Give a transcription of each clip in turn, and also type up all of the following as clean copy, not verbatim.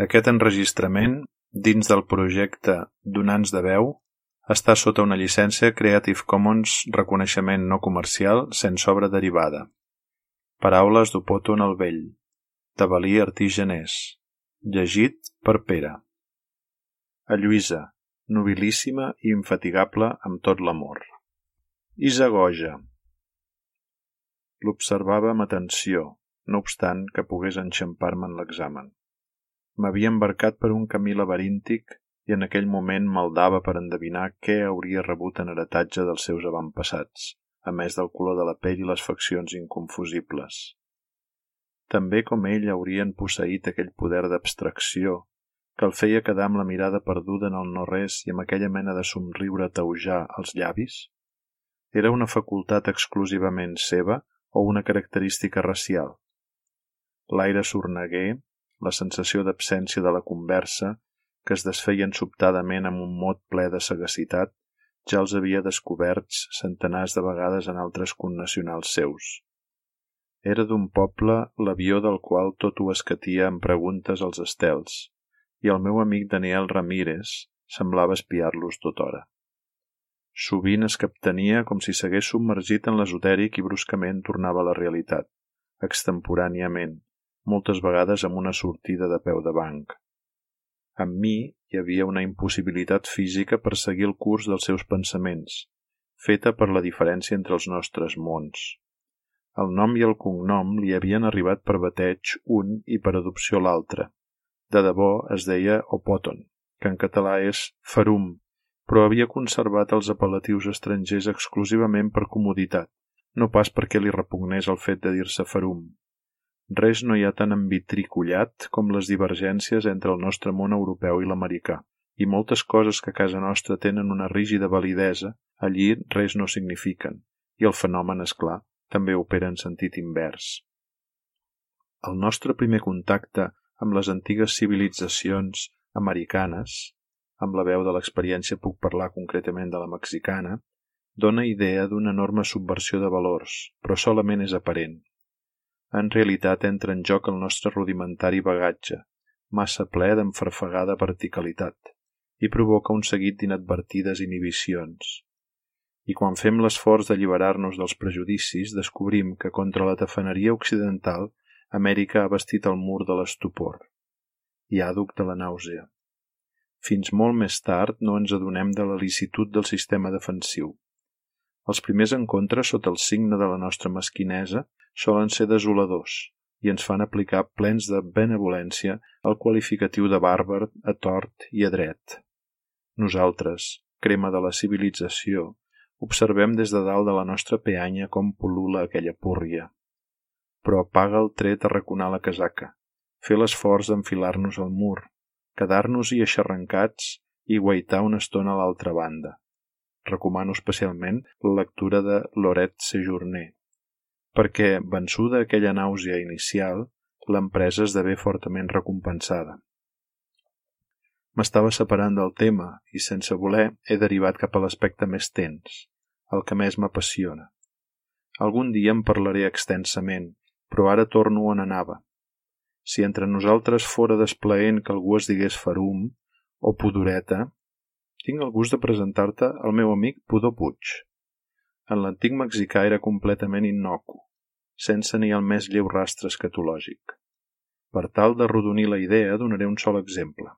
Aquest enregistrament, dins del projecte Donants de veu, està sota una llicència Creative Commons reconeixement no comercial sense obra derivada. Paraules d'Opòton el Vell, de Valí Artí-Genés, llegit per Pere. A Lluïsa, nobilíssima i infatigable amb tot l'amor. Isagoja. L'observava amb atenció, no obstant que pogués enxampar-me en l'examen. M'havia embarcat per un camí laberíntic i en aquell moment maldava per endevinar què hauria rebut en heretatge dels seus avantpassats, a més del color de la pell i les faccions inconfusibles. També com ell haurien posseït aquell poder d'abstracció que el feia quedar amb la mirada perduda en el no-res i amb aquella mena de somriure taujar als llavis? Era una facultat exclusivament seva o una característica racial? L'aire sorneguer, la sensació d'absència de la conversa, que es desfeien sobtadament amb un mot ple de sagacitat, ja els havia descoberts centenars de vegades en altres connacionals seus. Era d'un poble l'avió del qual tot ho escatia amb preguntes als estels, i el meu amic Daniel Ramírez semblava espiar-los tothora. Sovint es captenia com si s'hagués submergit en l'esotèric i bruscament tornava a la realitat, extemporàniament, moltes vegades amb una sortida de peu de banc. Amb mi hi havia una impossibilitat física per seguir el curs dels seus pensaments, feta per la diferència entre els nostres mons. El nom i el cognom li havien arribat per bateig un i per adopció l'altre. De debò es deia Opòton, que en català és Farum, però havia conservat els apel·latius estrangers exclusivament per comoditat, no pas perquè li repugnés el fet de dir-se Farum. Res no hi ha tan envitricollat com les divergències entre el nostre món europeu i l'americà, i moltes coses que a casa nostra tenen una rígida validesa, allí res no signifiquen, i el fenomen, és clar, també opera en sentit invers. El nostre primer contacte amb les antigues civilitzacions americanes, amb la veu de l'experiència puc parlar concretament de la mexicana, dona idea d'una enorme subversió de valors, però solament és aparent. En realitat entra en joc el nostre rudimentari bagatge, massa ple d'enfarfegada verticalitat, i provoca un seguit d'inadvertides inhibicions. I quan fem l'esforç d'alliberar-nos dels prejudicis, descobrim que contra la tafaneria occidental Amèrica ha bastit el mur de l'estupor i àduc de la nàusea. Fins molt més tard no ens adonem de la licitud del sistema defensiu. Els primers encontres sota el signe de la nostra mesquinesa solen ser desoladors i ens fan aplicar plens de benevolència el qualificatiu de bàrbar a tort i a dret. Nosaltres, crema de la civilització, observem des de dalt de la nostra peanya com pol·lula aquella púrria. Però apaga el tret a raconar la casaca, fer l'esforç d'enfilar-nos al mur, quedar-nos-hi eixarrencats i guaitar una estona a l'altra banda. Recomano especialment la lectura de Loret Sejourné, perquè, vençuda aquella nàusea inicial, l'empresa esdevé fortament recompensada. M'estava separant del tema i, sense voler, he derivat cap a l'aspecte més tens, el que més m'apassiona. Algun dia en parlaré extensament, però ara torno on anava. Si entre nosaltres fora desplaent que algú es digués Farum o Pudoreta, tinc el gust de presentar-te al meu amic Pudor Puig. En l'antic mexicà era completament innocu, sense ni el més lleu rastre escatològic. Per tal d'arrodonir la idea, donaré un sol exemple.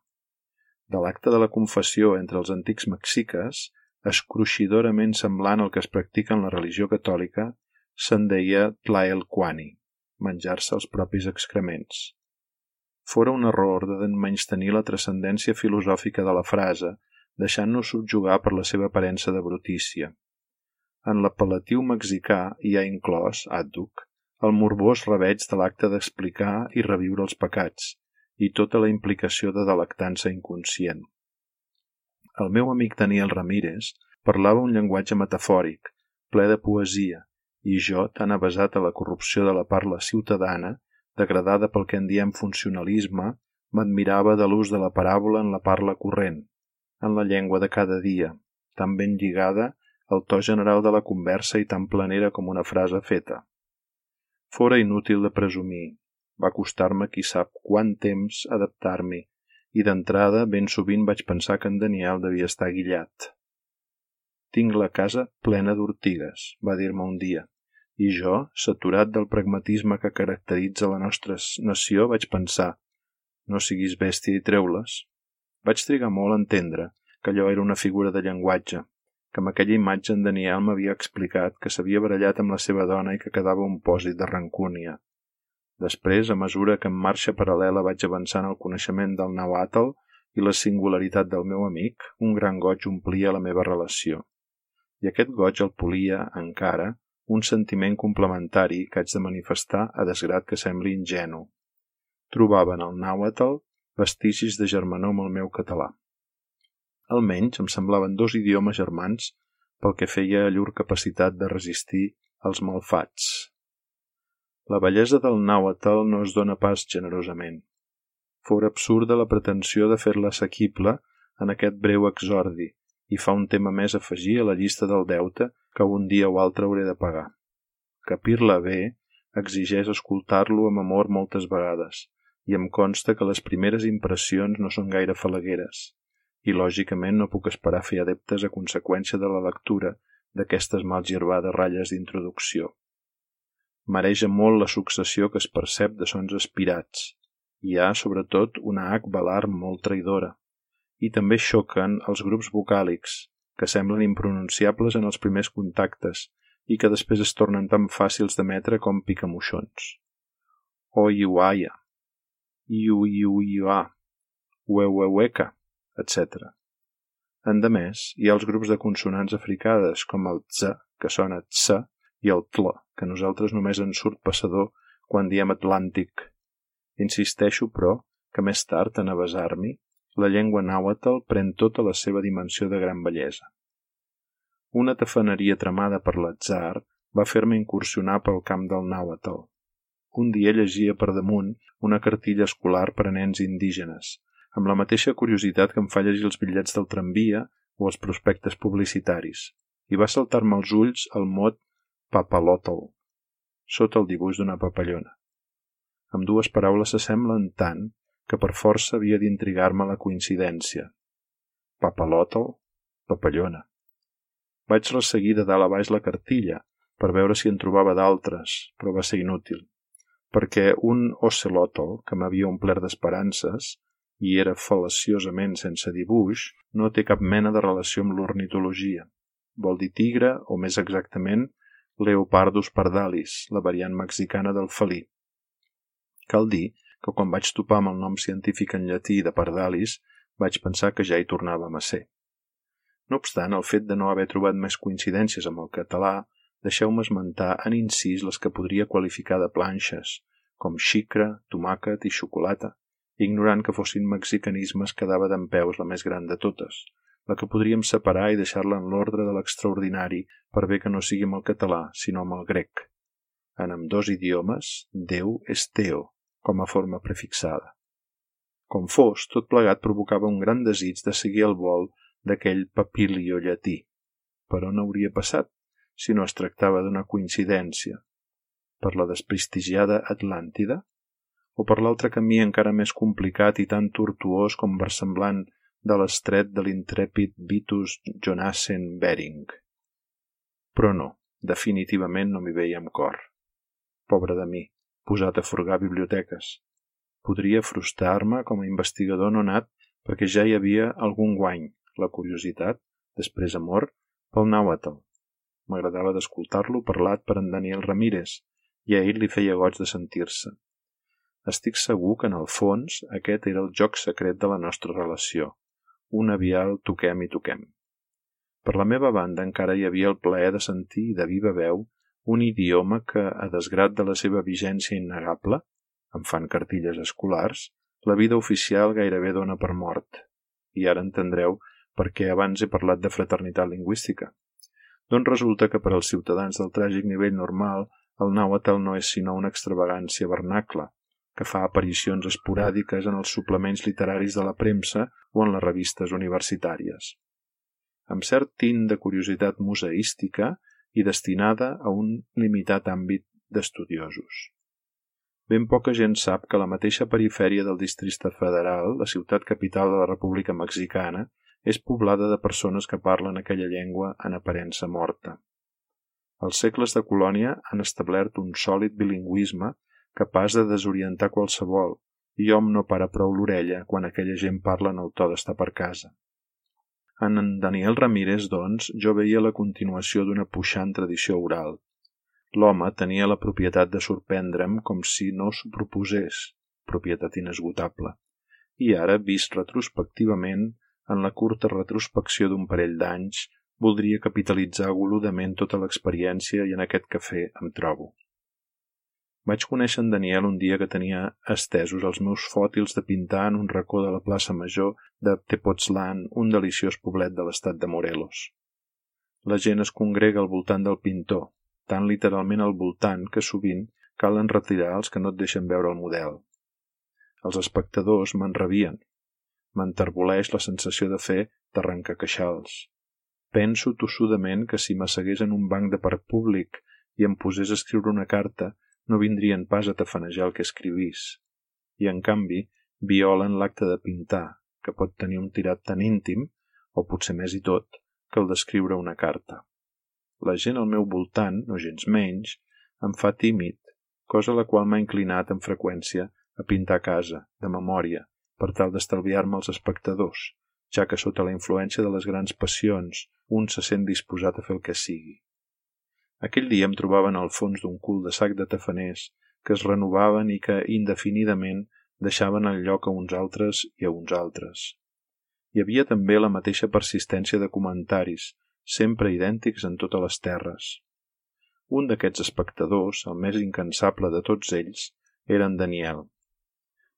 De l'acte de la confessió entre els antics mexiques, escruixidorament semblant al que es practica en la religió catòlica, se'n deia tlaelcuani, menjar-se els propis excrements. Fora un error de menystenir la transcendència filosòfica de la frase, deixant-nos subjugar per la seva aparença de brutícia. En l'apel·latiu mexicà hi ha inclòs, àdhuc, el morbós reveig de l'acte d'explicar i reviure els pecats, i tota la implicació de delectança inconscient. El meu amic Daniel Ramírez parlava un llenguatge metafòric, ple de poesia, i jo, tan avesat a la corrupció de la parla ciutadana, degradada pel que en diem funcionalisme, m'admirava de l'ús de la paràbola en la parla corrent, en la llengua de cada dia, tan ben lligada al to general de la conversa i tan planera com una frase feta. Fora inútil de presumir. Va costar-me qui sap quant temps adaptar-m'hi, i d'entrada ben sovint vaig pensar que en Daniel devia estar guillat. «Tinc la casa plena d'ortigues», va dir-me un dia, i jo, saturat del pragmatisme que caracteritza la nostra nació, vaig pensar «no siguis bèstia i treu-les». Vaig trigar molt a entendre que allò era una figura de llenguatge, que amb aquella imatge en Daniel m'havia explicat que s'havia barallat amb la seva dona i que quedava un pòsit de rancúnia. Després, a mesura que en marxa paral·lela vaig avançant el coneixement del nàhuatl i la singularitat del meu amic, un gran goig omplia la meva relació. I aquest goig el polia, encara, un sentiment complementari que haig de manifestar a desgrat que sembli ingenu. Trobava en el nàhuatl vestigis de germanor amb el meu català. Almenys em semblaven dos idiomes germans pel que feia a llur capacitat de resistir als malfats. La bellesa del nàhuatl no es dona pas generosament. Fora absurda la pretensió de fer-la assequible en aquest breu exordi i fa un tema més afegir a la llista del deute que un dia o altre hauré de pagar. Capir-la bé exigeix escoltar-lo amb amor moltes vegades i em consta que les primeres impressions no són gaire falagueres i lògicament no puc esperar fer adeptes a conseqüència de la lectura d'aquestes mal girbades ratlles d'introducció. Mareja molt la successió que es percep de sons aspirats. Hi ha, sobretot, una H velar molt traïdora. I també xoquen els grups vocàlics, que semblen impronunciables en els primers contactes i que després es tornen tan fàcils d'emetre com picamoixons. Oiuaia, iuiuiua, ueueueca, etc. Endemés, hi ha els grups de consonants africades com el tz, que sona tsa, i el tl, que a nosaltres només en surt passador quan diem Atlàntic. Insisteixo, però, que més tard, en avasar-m'hi, la llengua nàhuatl pren tota la seva dimensió de gran bellesa. Una tafaneria tramada per l'atzar va fer-me incursionar pel camp del nàhuatl. Un dia llegia per damunt una cartilla escolar per a nens indígenes, amb la mateixa curiositat que em fa llegir els bitllets del tramvia o els prospectes publicitaris, i va saltar-me als ulls el mot papalotl, sota el dibuix d'una papallona. Ambdues paraules s'assemblen tant que per força havia d'intrigar-me la coincidència. Papalotl, papallona. Vaig resseguir de dalt a baix la cartilla per veure si en trobava d'altres, però va ser inútil, perquè un ocelotl que m'havia omplert d'esperances i era fal·laciosament sense dibuix, no té cap mena de relació amb l'ornitologia. Vol dir tigre, o més exactament, Leopardus pardalis, la variant mexicana del felí. Cal dir que quan vaig topar amb el nom científic en llatí de pardalis, vaig pensar que ja hi tornàvem a ser. No obstant, el fet de no haver trobat més coincidències amb el català, deixeu-me esmentar en incís les que podria qualificar de planxes, com xicra, tomàquet i xocolata, ignorant que fossin mexicanismes que dava dempeus la més gran de totes, la que podríem separar i deixar-la en l'ordre de l'extraordinari per bé que no sigui amb el català, sinó amb el grec. En ambdós idiomes, Déu és Teo, com a forma prefixada. Com fos, tot plegat provocava un gran desig de seguir el vol d'aquell papilio llatí. Per on hauria passat, si no es tractava d'una coincidència? Per la desprestigiada Atlàntida? O per l'altre camí encara més complicat i tan tortuós com versemblant de l'estret de l'intrèpid Vitus Jonassen Bering? Però no, definitivament no m'hi veia amb cor. Pobre de mi, posat a furgar biblioteques. Podria frustrar-me com a investigador no nat perquè ja hi havia algun guany, la curiositat, després amor, pel nàhuatl. M'agradava d'escoltar-lo parlat per en Daniel Ramírez i a ell li feia goig de sentir-se. Estic segur que en el fons aquest era el joc secret de la nostra relació, un avial toquem i toquem. Per la meva banda encara hi havia el plaer de sentir de viva veu un idioma que, a desgrat de la seva vigència innegable, em fan cartilles escolars, la vida oficial gairebé dona per mort. I ara entendreu per què abans he parlat de fraternitat lingüística. Doncs resulta que per als ciutadans del tràgic nivell normal el nàhuatl no és sinó una extravagància vernacla, que fa aparicions esporàdiques en els suplements literaris de la premsa o en les revistes universitàries. Amb cert tint de curiositat museística i destinada a un limitat àmbit d'estudiosos. Ben poca gent sap que la mateixa perifèria del Districte Federal, la ciutat capital de la República Mexicana, és poblada de persones que parlen aquella llengua en aparença morta. Els segles de colònia han establert un sòlid bilingüisme capaç de desorientar qualsevol, i hom no para prou l'orella quan aquella gent parla en el to d'estar per casa. En Daniel Ramírez, doncs, jo veia la continuació d'una puixant tradició oral. L'home tenia la propietat de sorprendre'm com si no s'ho proposés, propietat inesgotable, i ara, vist retrospectivament, en la curta retrospecció d'un parell d'anys, voldria capitalitzar agoludament tota l'experiència i en aquest cafè em trobo. Vaig conèixer en Daniel un dia que tenia estesos els meus fòtils de pintar en un racó de la plaça Major de Tepoztlán, un deliciós poblet de l'estat de Morelos. La gent es congrega al voltant del pintor, tan literalment al voltant que sovint calen retirar els que no et deixen veure el model. Els espectadors m'enrabien. M'enterboleix la sensació de fer d'arrencar-queixals. Penso tossudament que si m'assegués en un banc de parc públic i em posés a escriure una carta, no vindrien pas a tafanejar el que escrivís. I, en canvi, violen l'acte de pintar, que pot tenir un tirat tan íntim, o potser més i tot, que el d'escriure una carta. La gent al meu voltant, no gens menys, em fa tímid, cosa la qual m'ha inclinat amb freqüència a pintar a casa, de memòria, per tal d'estalviar-me els espectadors, ja que sota la influència de les grans passions un se sent disposat a fer el que sigui. Aquell dia em trobaven al fons d'un cul de sac de tafaners que es renovaven i que, indefinidament, deixaven el lloc a uns altres i a uns altres. Hi havia també la mateixa persistència de comentaris, sempre idèntics en totes les terres. Un d'aquests espectadors, el més incansable de tots ells, era en Daniel.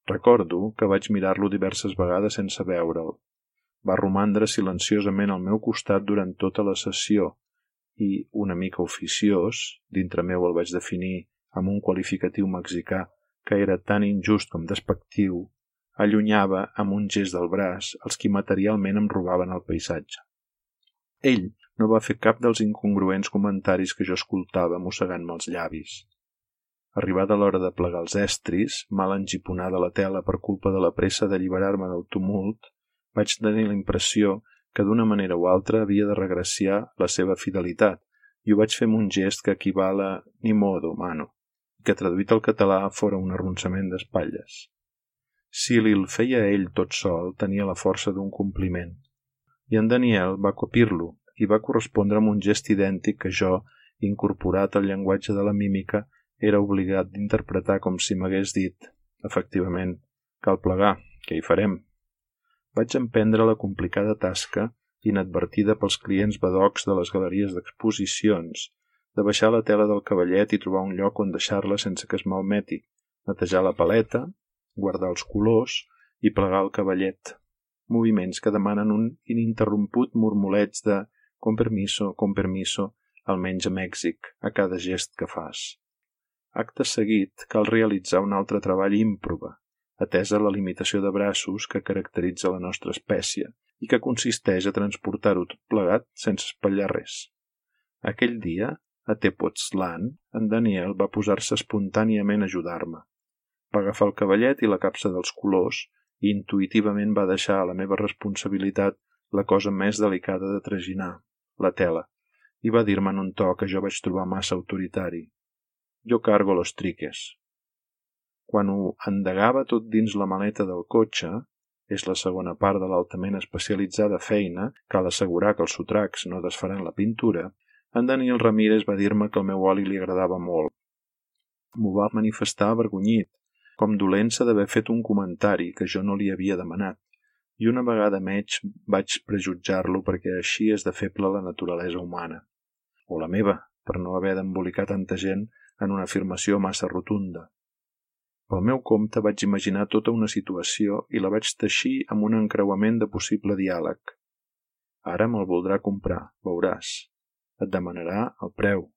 Recordo que vaig mirar-lo diverses vegades sense veure'l. Va romandre silenciosament al meu costat durant tota la sessió i, una mica oficiós, dintre meu el vaig definir amb un qualificatiu mexicà que era tan injust com despectiu, allunyava amb un gest del braç els qui materialment em robaven el paisatge. Ell no va fer cap dels incongruents comentaris que jo escoltava mossegant-me els llavis. Arribada l'hora de plegar els estris, mal engiponada la tela per culpa de la pressa d'alliberar-me del tumult, vaig tenir la impressió que d'una manera o altra havia de regraciar la seva fidelitat, i ho vaig fer amb un gest que equival a ni modo, mano, i que traduït al català fora un arronsament d'espatlles. Si li'l feia ell tot sol, tenia la força d'un compliment. I en Daniel va copir-lo i va correspondre amb un gest idèntic que jo, incorporat al llenguatge de la mímica, era obligat d'interpretar com si m'hagués dit, efectivament, cal plegar, què hi farem? Vaig emprendre la complicada tasca, inadvertida pels clients badocs de les galeries d'exposicions, de baixar la tela del cavallet i trobar un lloc on deixar-la sense que es malmeti, netejar la paleta, guardar els colors i plegar el cavallet. Moviments que demanen un ininterromput murmuleig de con permiso, almenys a Mèxic, a cada gest que fas. Acte seguit, cal realitzar un altre treball ímprobe, atesa la limitació de braços que caracteritza la nostra espècie i que consisteix a transportar-ho tot plegat sense espatllar res. Aquell dia, a Tepoztlán, en Daniel va posar-se espontàniament a ajudar-me. Va agafar el cavallet i la capsa dels colors i intuïtivament va deixar a la meva responsabilitat la cosa més delicada de traginar, la tela, i va dir-me en un to que jo vaig trobar massa autoritari. Jo cargo los triques. Quan ho endegava tot dins la maleta del cotxe, és la segona part de l'altament especialitzada feina, cal assegurar que els sotracs no desfaran la pintura, en Daniel Ramírez va dir-me que el meu oli li agradava molt. M'ho va manifestar avergonyit, com dolent-se d'haver fet un comentari que jo no li havia demanat, i una vegada més vaig prejutjar-lo perquè així és de feble la naturalesa humana, o la meva, per no haver d'embolicar tanta gent en una afirmació massa rotunda. Pel meu compte vaig imaginar tota una situació i la vaig teixir amb un encreuament de possible diàleg. Ara me'l voldrà comprar, veuràs. Et demanarà el preu.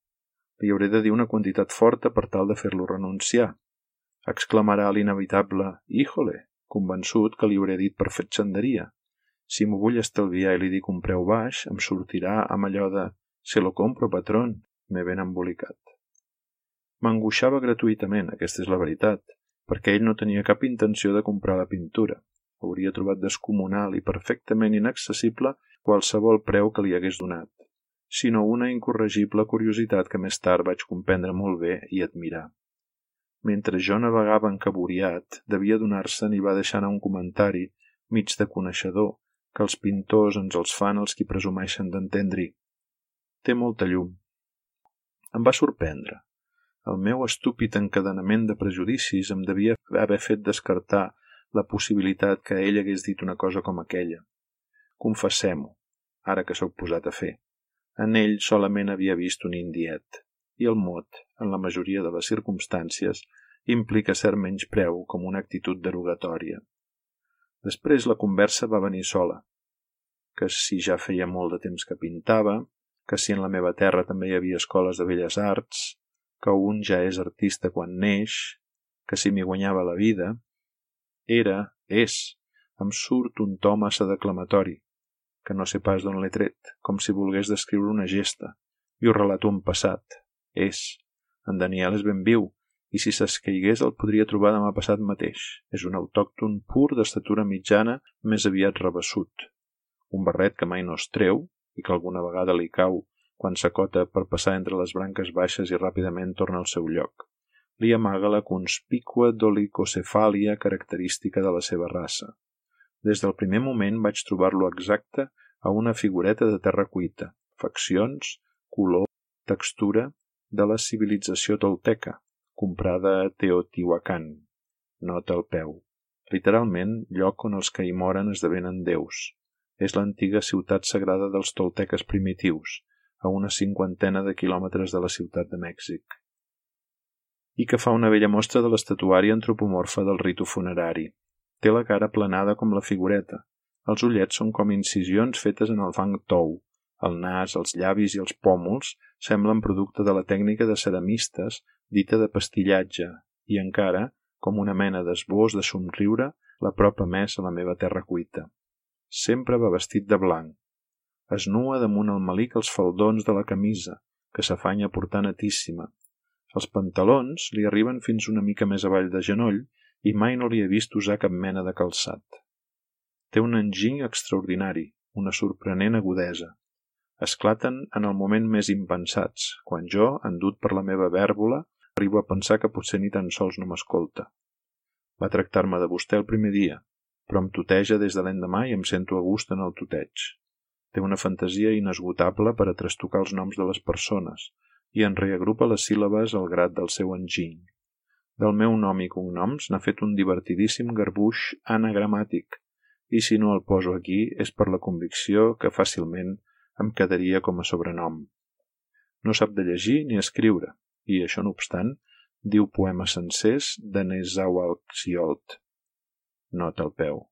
Li hauré de dir una quantitat forta per tal de fer-lo renunciar. Exclamarà l'inevitable «Híjole», convençut que li hauré dit per fatxenderia. Si m'ho vull estalviar i li dic un preu baix, em sortirà amb allò de «Se lo compro, patrón», m'he ben embolicat. M'angoixava gratuïtament, aquesta és la veritat, perquè ell no tenia cap intenció de comprar la pintura. Hauria trobat descomunal i perfectament inaccessible qualsevol preu que li hagués donat, sinó una incorregible curiositat que més tard vaig comprendre molt bé i admirar. Mentre jo navegava encaboriat, devia donar-se'n i va deixar anar un comentari, mig de coneixedor, que els pintors ens els fan els qui presumeixen d'entendre-hi. Té molta llum. Em va sorprendre. El meu estúpid encadenament de prejudicis em devia haver fet descartar la possibilitat que ell hagués dit una cosa com aquella. Confessem-ho, ara que sóc posat a fer. En ell solament havia vist un indiet, i el mot, en la majoria de les circumstàncies, implica cert menyspreu com una actitud derogatòria. Després la conversa va venir sola, que si ja feia molt de temps que pintava, que si en la meva terra també hi havia escoles de belles arts, que un ja és artista quan neix, que si m'hi guanyava la vida. Em surt un to massa declamatori, que no sé pas d'on l'he tret, com si volgués descriure una gesta, i ho relato en passat. En Daniel és ben viu, i si s'escaigués el podria trobar demà passat mateix. És un autòcton pur d'estatura mitjana, més aviat rabassut. Un barret que mai no es treu, i que alguna vegada li cau quan s'acota per passar entre les branques baixes i ràpidament torna al seu lloc. Li amaga la conspícua dolicocefàlia característica de la seva raça. Des del primer moment vaig trobar-lo exacte a una figureta de terra cuita, faccions, color, textura de la civilització tolteca, comprada a Teotihuacan. Nota al peu. Literalment, lloc on els que hi moren esdevenen déus. És l'antiga ciutat sagrada dels tolteques primitius, a una 50 de quilòmetres de la ciutat de Mèxic. I que fa una bella mostra de l'estatuària antropomorfa del ritu funerari. Té la cara aplanada com la figureta. Els ullets són com incisions fetes en el fang tou. El nas, els llavis i els pòmuls semblen producte de la tècnica de ceramistes dita de pastillatge i encara, com una mena d'esbós de somriure, la propa més a la meva terra cuita. Sempre va vestit de blanc. Es nua damunt el melic els faldons de la camisa, que s'afanya a portar netíssima. Els pantalons li arriben fins una mica més avall de genoll i mai no li he vist usar cap mena de calçat. Té un enginy extraordinari, una sorprenent agudesa. Esclaten en el moment més impensats, quan jo, endut per la meva vèrbola, arribo a pensar que potser ni tan sols no m'escolta. Va tractar-me de vostè el primer dia, però em tuteja des de l'endemà i em sento a gust en el tuteig. Té una fantasia inesgotable per a trastocar els noms de les persones i en reagrupa les síl·labes al grat del seu enginy. Del meu nom i cognoms n'ha fet un divertidíssim garbuix anagramàtic, i si no el poso aquí és per la convicció que fàcilment em quedaria com a sobrenom. No sap de llegir ni escriure, i això no obstant, diu poemes sencers de Nezahualcóyotl. Nota al peu.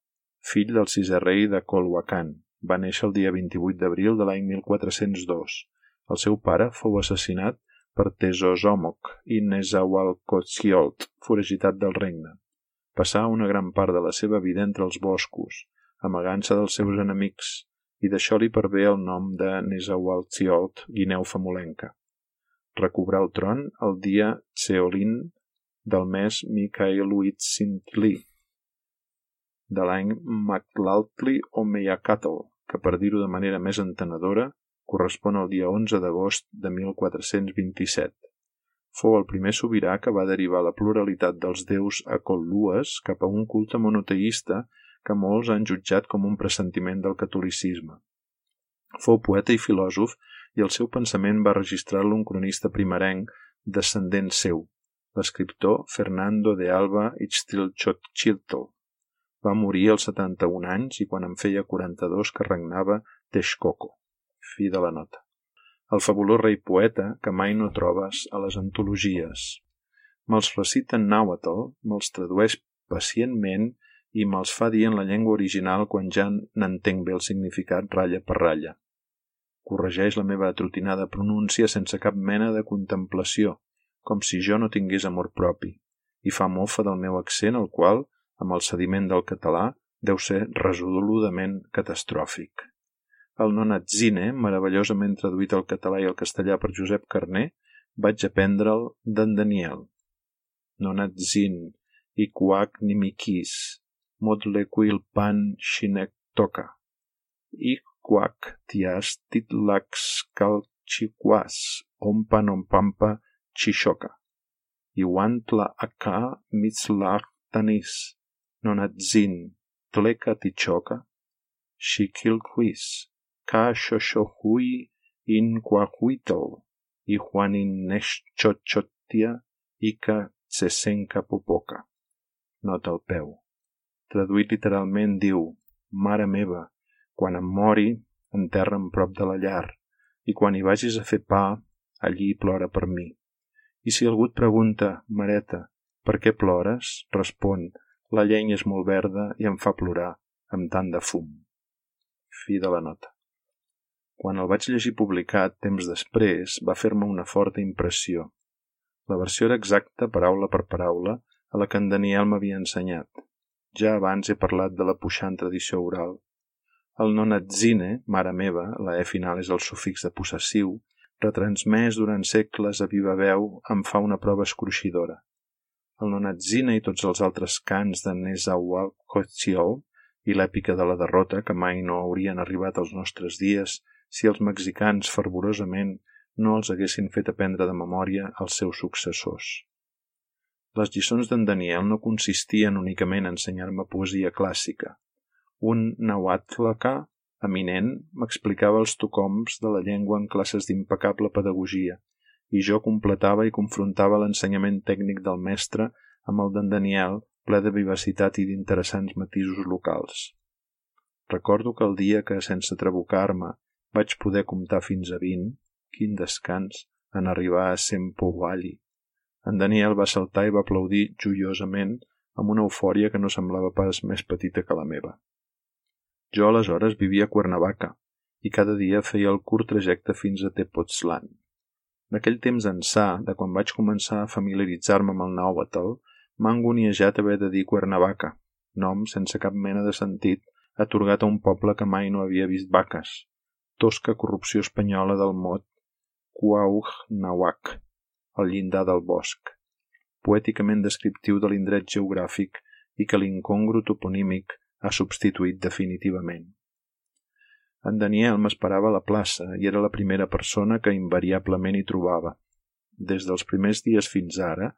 Fill del sisè rei de Colhuacán, va néixer el dia 28 d'abril de l'any 1402. El seu pare fou assassinat per Tezozòmoc i Nezahualcóyotl, foragitat del regne. Passà una gran part de la seva vida entre els boscos, amagant-se dels seus enemics, i d'això li pervé el nom de Nezahualcóyotl, guineu famolenca. Recobrà el tron el dia Tseolin del mes Micaeluitzintli, de l'any Mactlaltli o Meyacatl, que per dir-ho de manera més entenedora, correspon al dia 11 d'agost de 1427. Fou el primer sobirà que va derivar la pluralitat dels déus acollues cap a un culte monoteista que molts han jutjat com un pressentiment del catolicisme. Fou poeta i filòsof i el seu pensament va registrar-lo un cronista primerenc descendent seu, l'escriptor Fernando de Alba Ixtlilxochitl. Va morir als 71 anys i quan en feia 42 que regnava Texcoco. Fi de la nota. El fabulós rei poeta que mai no trobes a les antologies. Me'ls recita en nàhuatl, me'ls tradueix pacientment i me'ls fa dir en la llengua original quan ja n'entenc bé el significat ratlla per ratlla. Corregeix la meva atrotinada pronúncia sense cap mena de contemplació, com si jo no tingués amor propi, i fa mofa del meu accent, el qual, amb el sediment del català, deu ser resoludament catastròfic. El Nonatzine, meravellosament traduït al català i al castellà per Josep Carner, vaig aprendre'l d'en Daniel. Nonatzin, Ikuak Nimikis, Modlequil Pan Shinektoka, Ikuak Tias Titlax Calchiquas, Ompan Ompampa Chishoka, Iwantla Aka Mitzlach Tanis, Nonatzin, Tleka Tichoka, Shikilquis, Ka Shoshohui in Quahuitl, i Juanin Nexchochotia, Ika Tsesenka Popoka. Nota al peu. Traduït literalment diu: Mare meva, quan em mori, enterra'm prop de la llar, i quan hi vagis a fer pa, allí plora per mi. I si algú et pregunta, Mareta, per què plores? Respon: la llenya és molt verda i em fa plorar amb tant de fum. Fi de la nota. Quan el vaig llegir publicat temps després, va fer-me una forta impressió. La versió era exacta, paraula per paraula, a la que en Daniel m'havia ensenyat. Ja abans he parlat de la puixant tradició oral. El nonatzine, mare meva, la E final és el sufix de possessiu, retransmès durant segles a viva veu, em fa una prova escruixidora. El nonatzine i tots els altres cants de Nezahualcóyotl i l'èpica de la derrota, que mai no haurien arribat als nostres dies si els mexicans fervorosament no els haguessin fet aprendre de memòria als seus successors. Les lliçons d'en Daniel no consistien únicament en ensenyar-me poesia clàssica. Un nahuatlacà eminent m'explicava els tocoms de la llengua en classes d'impecable pedagogia, i jo completava i confrontava l'ensenyament tècnic del mestre amb el d'en Daniel, ple de vivacitat i d'interessants matisos locals. Recordo que el dia que, sense trabucar-me, vaig poder comptar fins a 20, quin descans, en arribar a Sempoali. En Daniel va saltar i va aplaudir joiosament amb una eufòria que no semblava pas més petita que la meva. Jo aleshores vivia a Cuernavaca i cada dia feia el curt trajecte fins a Tepoztlán. D'aquell temps ençà, de quan vaig començar a familiaritzar-me amb el nàhuatl, m'ha angoniejat haver de dir Cuernavaca, nom sense cap mena de sentit atorgat a un poble que mai no havia vist vaques, tosca corrupció espanyola del mot Cuauhnahuac, al llindar del bosc, poèticament descriptiu de l'indret geogràfic i que l'incongru toponímic ha substituït definitivament. En Daniel m'esperava a la plaça i era la primera persona que invariablement hi trobava. Des dels primers dies fins ara,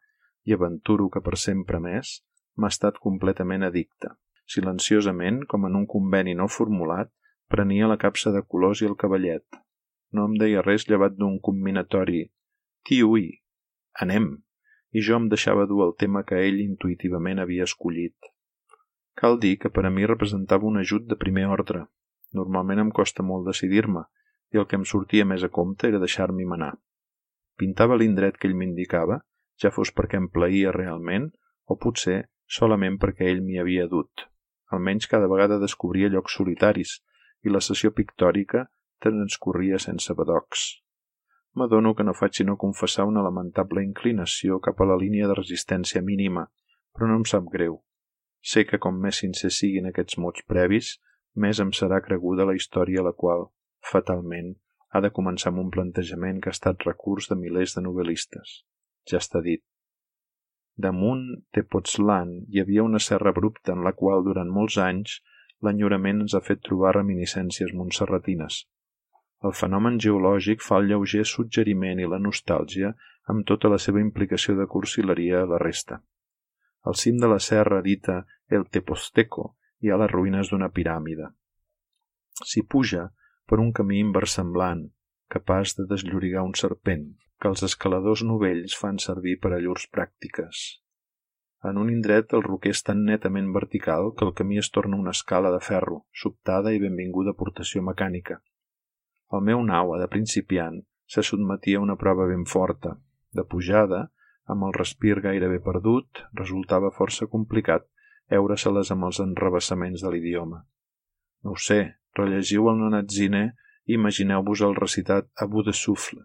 i aventuro que per sempre més, m'ha estat completament addicte. Silenciosament, com en un conveni no formulat, prenia la capsa de colors i el cavallet. No em deia res llevat d'un combinatori «Tiui, anem», i jo em deixava dur el tema que ell intuïtivament havia escollit. Cal dir que per a mi representava un ajut de primer ordre. Normalment em costa molt decidir-me, i el que em sortia més a compte era deixar-m'hi manar. Pintava l'indret que ell m'indicava, ja fos perquè em plaïa realment, o potser solament perquè ell m'hi havia dut. Almenys cada vegada descobria llocs solitaris, i la sessió pictòrica transcorria sense badocs. M'adono que no faig sinó confessar una lamentable inclinació cap a la línia de resistència mínima, però no em sap greu. Sé que com més sincers siguin aquests mots previs, més em serà creguda la història a la qual, fatalment, ha de començar amb un plantejament que ha estat recurs de milers de novel·listes. Ja està dit. Damunt Tepoztlán hi havia una serra abrupta en la qual, durant molts anys, l'enyorament ens ha fet trobar reminiscències montserratines. El fenomen geològic fa el lleuger suggeriment i la nostàlgia amb tota la seva implicació de cursileria a la resta. Al cim de la serra dita El Tepozteco hi ha les ruïnes d'una piràmide. S'hi puja per un camí inversemblant, capaç de desllorigar un serpent, que els escaladors novells fan servir per a llurs pràctiques. En un indret el roquer és tan netament vertical que el camí es torna una escala de ferro, sobtada i benvinguda aportació mecànica. El meu nau, de principiant, se sotmetia a una prova ben forta. De pujada, amb el respir gairebé perdut, resultava força complicat heure-se-les amb els enrevessaments de l'idioma. No ho sé, rellegiu el Nonatzine i imagineu-vos el recitat a bout de souffle.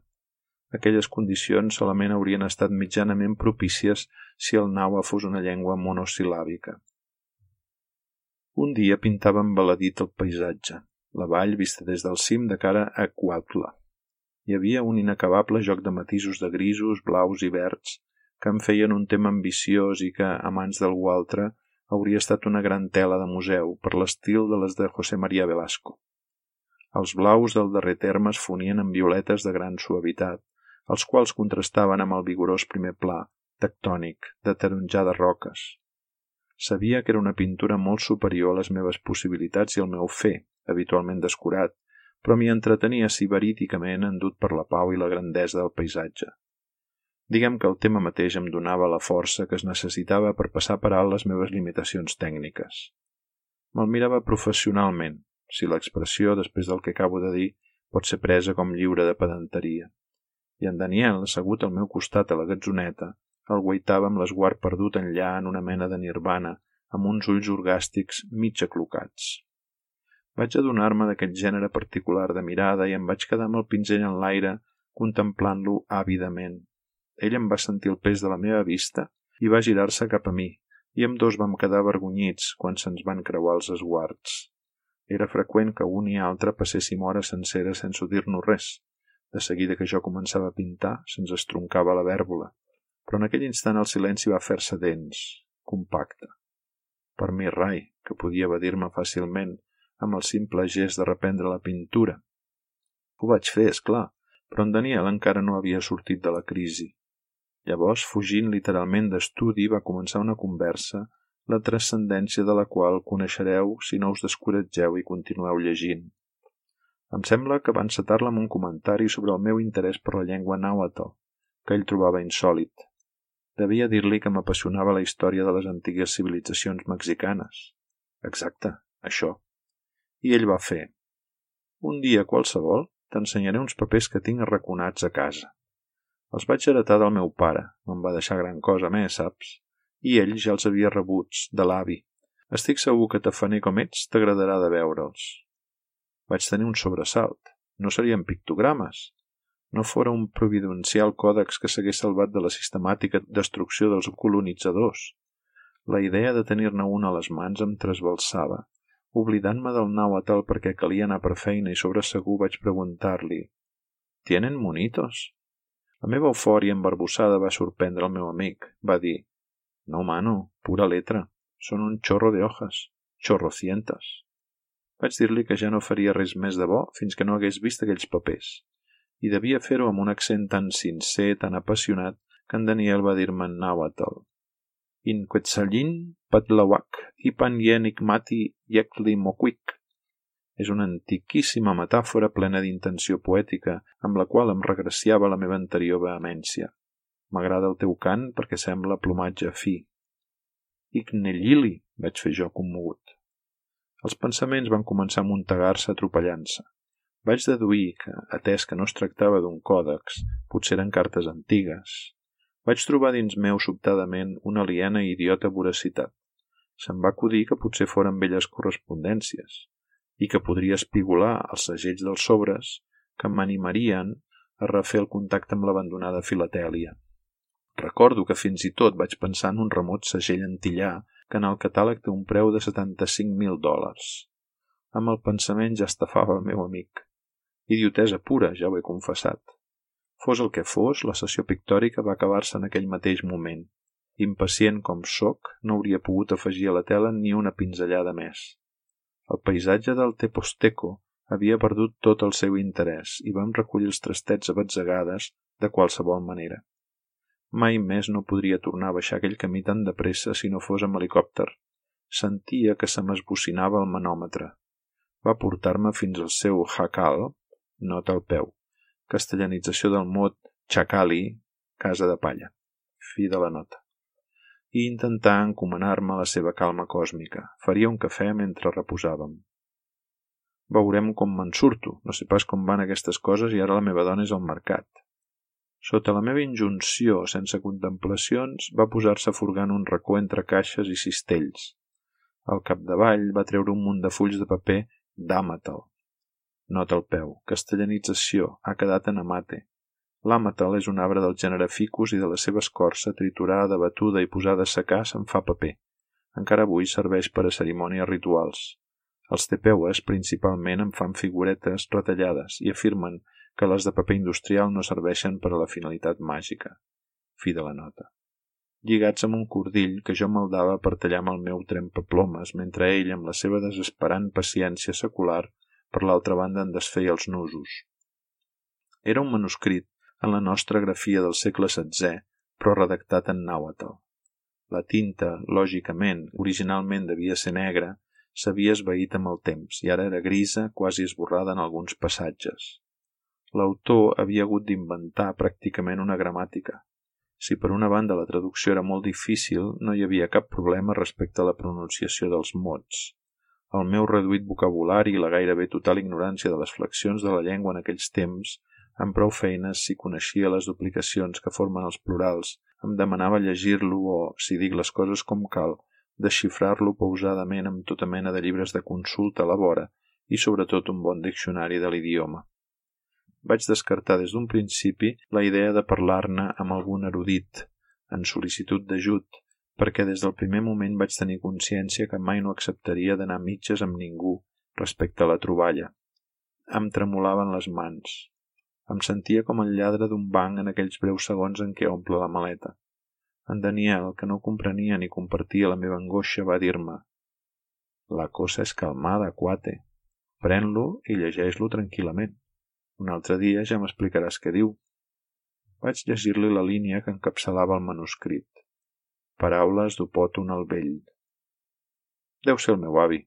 Aquelles condicions solament haurien estat mitjanament propícies si el nàhua fos una llengua monosil·làbica. Un dia pintava embaladit el paisatge, la vall vista des del cim de cara a Cuautla. Hi havia un inacabable joc de matisos de grisos, blaus i verds que em feien un tema ambiciós i que, a mans d'algú altre, hauria estat una gran tela de museu per l'estil de les de José María Velasco. Els blaus del darrer terme es fonien en violetes de gran suavitat, els quals contrastaven amb el vigorós primer pla, tectònic, de taronjades roques. Sabia que era una pintura molt superior a les meves possibilitats i al meu fer, habitualment descurat, però m'hi entretenia siberíticament endut per la pau i la grandesa del paisatge. Diguem que el tema mateix em donava la força que es necessitava per passar per alt les meves limitacions tècniques. Me'l mirava professionalment, si l'expressió, després del que acabo de dir, pot ser presa com lliure de pedanteria. I en Daniel, assegut al meu costat a la gatzoneta, el guaitava amb l'esguard perdut enllà en una mena de nirvana, amb uns ulls orgàstics mig aclocats. Vaig adonar-me d'aquest gènere particular de mirada i em vaig quedar amb el pinzell en l'aire, contemplant-lo àvidament. Ell em va sentir el pes de la meva vista i va girar-se cap a mi, i ambdós vam quedar avergonyits quan se'ns van creuar els esguards. Era freqüent que un i altre passéssim hores senceres sense dir-nos res. De seguida que jo començava a pintar, se'ns estroncava la vèrbola, però en aquell instant el silenci va fer-se dens, compacte. Per mi rai, que podia evadir-me fàcilment amb el simple gest de reprendre la pintura. Ho vaig fer, esclar, però en Daniel encara no havia sortit de la crisi. Llavors, fugint literalment d'estudi, va començar una conversa, la transcendència de la qual coneixereu si no us descoratgeu i continueu llegint. Em sembla que va encetar-la amb un comentari sobre el meu interès per la llengua nàhuatl, que ell trobava insòlit. Devia dir-li que m'apassionava la història de les antigues civilitzacions mexicanes. Exacte, això. I ell va fer. Un dia qualsevol t'ensenyaré uns papers que tinc arraconats a casa. Els vaig heretar del meu pare, me'n va deixar gran cosa més, saps? I ell ja els havia rebuts, de l'avi. Estic segur que tafaner com ets t'agradarà de veure'ls. Vaig tenir un sobresalt. No serien pictogrames. No fora un providencial còdex que s'hagués salvat de la sistemàtica destrucció dels colonitzadors. La idea de tenir-ne un a les mans em trasbalsava. Oblidant-me del nàhuatl perquè calia anar per feina i sobre segur vaig preguntar-li «Tienen monitos?» La meva eufòria embarbussada va sorprendre el meu amic. Va dir «No, mano, pura letra. Són un chorro de hojas. Chorrocientas». Vaig dir-li que ja no faria res més de bo fins que no hagués vist aquells papers. I devia fer-ho amb un accent tan sincer, tan apassionat, que en Daniel va dir-me en nàhuatl. In Quetzalin Patlawak i Panyenik Mati Yekli Mokwik. És una antiquíssima metàfora plena d'intenció poètica, amb la qual em regraciava la meva anterior vehemència. M'agrada el teu cant perquè sembla plomatge fi. Ignellili, vaig fer jo commogut. Els pensaments van començar a amuntegar-se atropellant-se. Vaig deduir que, atès que no es tractava d'un còdex, potser eren cartes antigues. Vaig trobar dins meu sobtadament una aliena i idiota voracitat. Se'm va acudir que potser foren velles correspondències i que podria espigolar els segells dels sobres que m'animarien a refer el contacte amb l'abandonada filatèlia. Recordo que fins i tot vaig pensar en un remot segell antillà que en el catàleg té un preu de $75.000. Amb el pensament ja estafava el meu amic. Idiotesa pura, ja ho he confessat. Fos el que fos, la sessió pictòrica va acabar-se en aquell mateix moment. Impacient com sóc, no hauria pogut afegir a la tela ni una pinzellada més. El paisatge del Teposteco havia perdut tot el seu interès i vam recollir els trastets a batzegades de qualsevol manera. Mai més no podria tornar a baixar aquell camí tan de pressa si no fos amb helicòpter. Sentia que se m'esbocinava el manòmetre. Va portar-me fins al seu jacal, nota al peu, castellanització del mot chacali, casa de palla, fi de la nota, i intentar encomanar-me a la seva calma còsmica. Faria un cafè mentre reposàvem. Veurem com me'n surto, no sé pas com van aquestes coses i ara la meva dona és al mercat. Sota la meva injunció, sense contemplacions, va posar-se furgant un racó entre caixes i cistells. Al capdavall va treure un munt de fulls de paper d'àmatel. Nota al peu, castellanització, ha quedat en amate. L'àmatel és un arbre del gènere ficus i de la seva escorça triturada, batuda i posada a secar se'n fa paper. Encara avui serveix per a cerimònies rituals. Els tepeues principalment en fan figuretes retallades i afirmen que les de paper industrial no serveixen per a la finalitat màgica. Fi de la nota. Lligats amb un cordill que jo maldava per tallar amb el meu trempaplomes mentre ell, amb la seva desesperant paciència secular, per l'altra banda en desfeia els nusos. Era un manuscrit en la nostra grafia del segle XVI, però redactat en nàhuatl. La tinta, lògicament, originalment devia ser negra, s'havia esvaït amb el temps i ara era grisa, quasi esborrada en alguns passatges. L'autor havia hagut d'inventar pràcticament una gramàtica. Si per una banda la traducció era molt difícil, no hi havia cap problema respecte a la pronunciació dels mots. El meu reduït vocabulari i la gairebé total ignorància de les flexions de la llengua en aquells temps, amb prou feines si coneixia les duplicacions que formen els plurals, em demanava llegir-lo o, si dic les coses com cal, desxifrar-lo pausadament amb tota mena de llibres de consulta a la vora i sobretot un bon diccionari de l'idioma. Vaig descartar des d'un principi la idea de parlar-ne amb algun erudit, en sol·licitud d'ajut, perquè des del primer moment vaig tenir consciència que mai no acceptaria d'anar a mitges amb ningú respecte a la troballa. Em tremolaven les mans. Em sentia com el lladre d'un banc en aquells breus segons en què omple la maleta. En Daniel, que no comprenia ni compartia la meva angoixa, va dir-me: «La cosa és calmada, cuate. Pren-lo i llegeix-lo tranquil·lament. Un altre dia ja m'explicaràs què diu». Vaig llegir-li la línia que encapçalava el manuscrit. Paraules d'Opòton el vell. Deu ser el meu avi.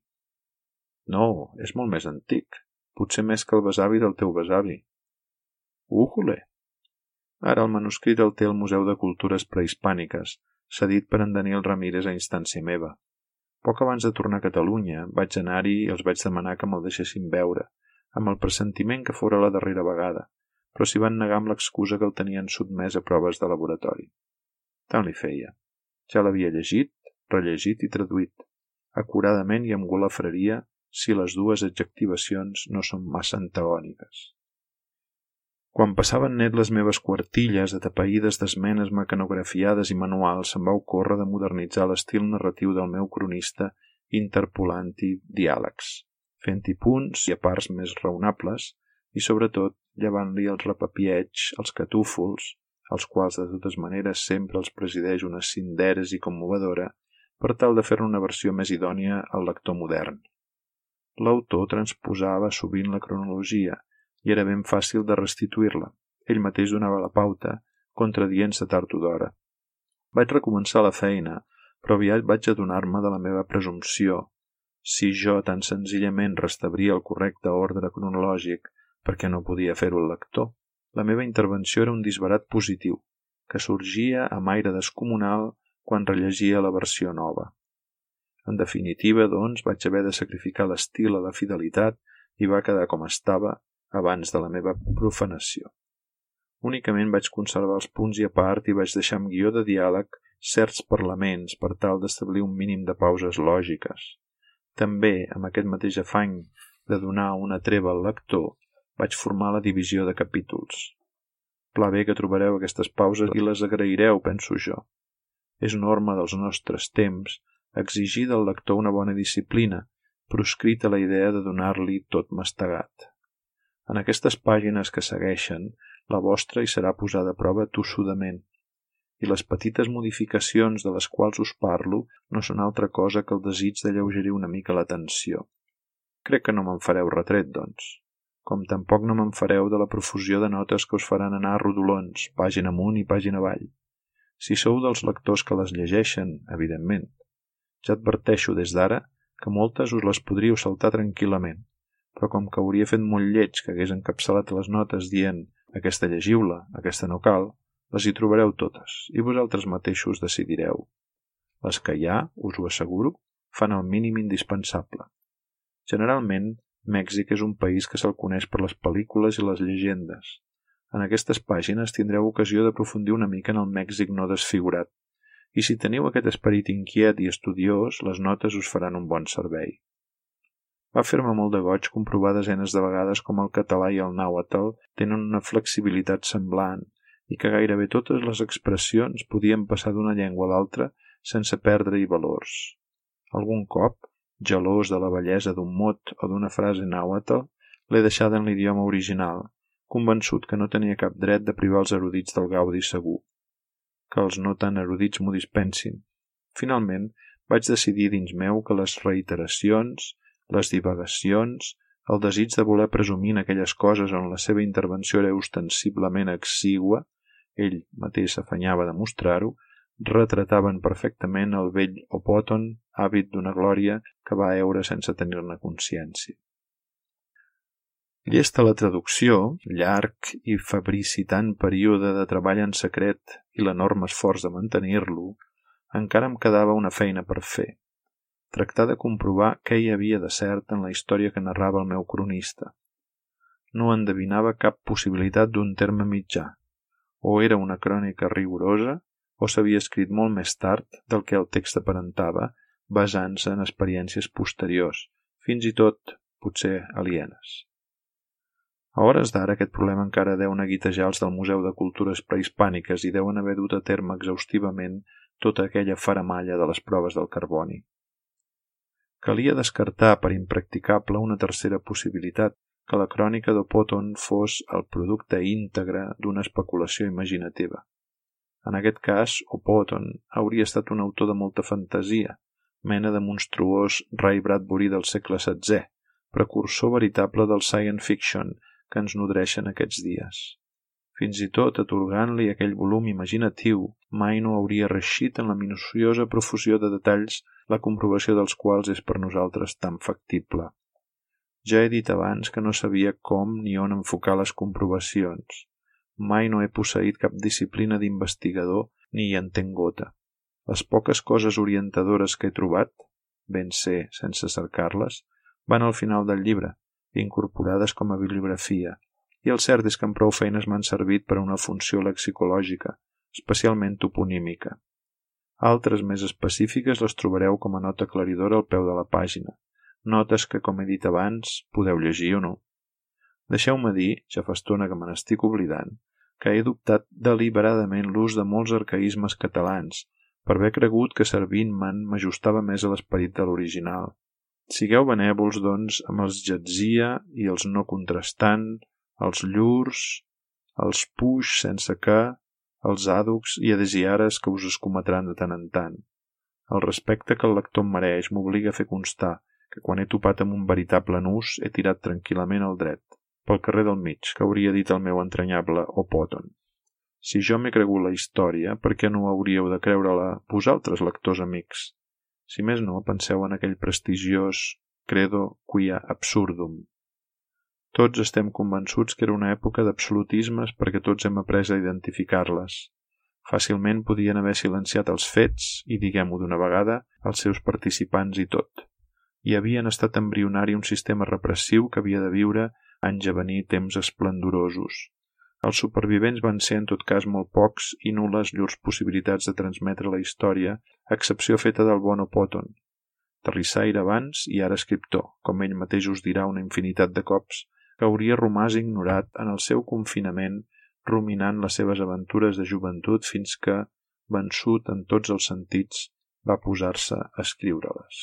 No, és molt més antic. Potser més que el besavi del teu besavi. Újole! Ara el manuscrit el té el Museu de Cultures Prehispàniques, cedit per en Daniel Ramírez a instància meva. Poc abans de tornar a Catalunya vaig anar-hi i els vaig demanar que me'l deixessin veure, amb el pressentiment que fora la darrera vegada, però s'hi van negar amb l'excusa que el tenien sotmès a proves de laboratori. Tant li feia. Ja l'havia llegit, rellegit i traduït, acuradament i amb golafreria si les dues adjectivacions no són massa antagòniques. Quan passaven net les meves quartilles atapeïdes d'esmenes mecanografiades i manuals, se'm va ocórrer de modernitzar l'estil narratiu del meu cronista interpolant-hi diàlegs, fent-hi punts i a parts més raonables i, sobretot, llevant-li els repapieig, els catúfols, els quals de totes maneres sempre els presideix una cinderes i commovedora, per tal de fer-ne una versió més idònia al lector modern. L'autor transposava sovint la cronologia i era ben fàcil de restituir-la. Ell mateix donava la pauta, contradient-se tard o d'hora. Vaig recomençar la feina, però aviat vaig adonar-me de la meva presumpció. Si jo tan senzillament restablia el correcte ordre cronològic, perquè no podia fer-ho el lector, la meva intervenció era un disbarat positiu, que sorgia amb aire descomunal quan rellegia la versió nova. En definitiva, doncs, vaig haver de sacrificar l'estil a la fidelitat i va quedar com estava abans de la meva profanació. Únicament vaig conservar els punts i a part i vaig deixar amb guió de diàleg certs parlaments per tal d'establir un mínim de pauses lògiques. També, amb aquest mateix afany de donar una treva al lector, vaig formar la divisió de capítols. Pla bé que trobareu aquestes pauses i les agraireu, penso jo. És norma dels nostres temps exigir del lector una bona disciplina, proscrita la idea de donar-li tot mastegat. En aquestes pàgines que segueixen, la vostra hi serà posada a prova tossudament, i les petites modificacions de les quals us parlo no són altra cosa que el desig d'alleugerir una mica la tensió. Crec que no me'n fareu retret, doncs, com tampoc no me'n fareu de la profusió de notes que us faran anar rodolons, pàgina amunt i pàgina avall. Si sou dels lectors que les llegeixen, evidentment. Ja adverteixo des d'ara que moltes us les podríeu saltar tranquil·lament, però com que hauria fet molt lleig que hagués encapçalat les notes dient «aquesta llegiu-la, aquesta no cal», les hi trobareu totes i vosaltres mateixos decidireu. Les que hi ha, us ho asseguro, fan el mínim indispensable. Generalment, Mèxic és un país que se'l coneix per les pel·lícules i les llegendes. En aquestes pàgines tindreu ocasió d'aprofundir una mica en el Mèxic no desfigurat, i si teniu aquest esperit inquiet i estudiós, les notes us faran un bon servei. Va fer-me molt de goig comprovar desenes de vegades com el català i el nàhuatl tenen una flexibilitat semblant i que gairebé totes les expressions podien passar d'una llengua a l'altra sense perdre-hi valors. Algun cop, gelós de la bellesa d'un mot o d'una frase nàhuatl, l'he deixada en l'idioma original, convençut que no tenia cap dret de privar els erudits del gaudi segur, que els no tan erudits m'ho dispensin. Finalment, vaig decidir dins meu que les reiteracions, les divagacions, el desig de voler presumir en aquelles coses on la seva intervenció era ostensiblement exigua, ell mateix s'afanyava de mostrar-ho, retrataven perfectament el vell Opòton, àvid d'una glòria que va eure sense tenir-ne consciència. Llesta la traducció, llarg i febricitant període de treball en secret i l'enorme esforç de mantenir-lo, encara em quedava una feina per fer. Tractar de comprovar què hi havia de cert en la història que narrava el meu cronista. No endevinava cap possibilitat d'un terme mitjà. O era una crònica rigorosa, o s'havia escrit molt més tard del que el text aparentava, basant-se en experiències posteriors, fins i tot, potser, alienes. A hores d'ara aquest problema encara deu neguitejar els del Museu de Cultures Prehispàniques i deuen haver dut a terme exhaustivament tota aquella faramalla de les proves del carboni. Calia descartar per impracticable una tercera possibilitat, que la crònica d'Opòton fos el producte íntegre d'una especulació imaginativa. En aquest cas, Opòton hauria estat un autor de molta fantasia, mena de monstruós Ray Bradbury del segle XVI, precursor veritable del science fiction que ens nodreixen aquests dies. Fins i tot, atorgant-li aquell volum imaginatiu, mai no hauria reeixit en la minuciosa profusió de detalls la comprovació dels quals és per nosaltres tan factible. Ja he dit abans que no sabia com ni on enfocar les comprovacions. Mai no he posseït cap disciplina d'investigador ni hi entenc gota. Les poques coses orientadores que he trobat, ben sé sense cercar-les, van al final del llibre, incorporades com a bibliografia, i el cert és que amb prou feines m'han servit per a una funció lexicològica, especialment toponímica. Altres més específiques les trobareu com a nota aclaridora al peu de la pàgina, notes que, com he dit abans, podeu llegir o no. Deixeu-me dir, ja fa estona que me n'estic oblidant, que he adoptat deliberadament l'ús de molts arcaïsmes catalans, per haver cregut que servint-me'n m'ajustava més a l'esperit de l'original. Sigueu benèvols, doncs, amb els jatzia i els no contrastant, els llurs, els puix sense que, els àducs i adesiares que us escometran de tant en tant. El respecte que el lector em mereix m'obliga a fer constar que quan he topat amb un veritable nus he tirat tranquil·lament al dret, pel carrer del mig, que hauria dit el meu entranyable Opòton. Si jo m'he cregut la història, per què no hauríeu de creure-la vosaltres, lectors amics? Si més no, penseu en aquell prestigiós credo quia absurdum. Tots estem convençuts que era una època d'absolutismes perquè tots hem après a identificar-les. Fàcilment podien haver silenciat els fets i, diguem-ho d'una vegada, els seus participants i tot. Hi havien estat embrionari un sistema repressiu que havia de viure anys a venir temps esplendorosos. Els supervivents van ser en tot cas molt pocs i nul·les llurs possibilitats de transmetre la història, a excepció feta del bon Opòton. Terrissaire abans i ara escriptor, com ell mateix us dirà una infinitat de cops, que hauria romàs ignorat en el seu confinament ruminant les seves aventures de joventut fins que, vençut en tots els sentits, va posar-se a escriure-les.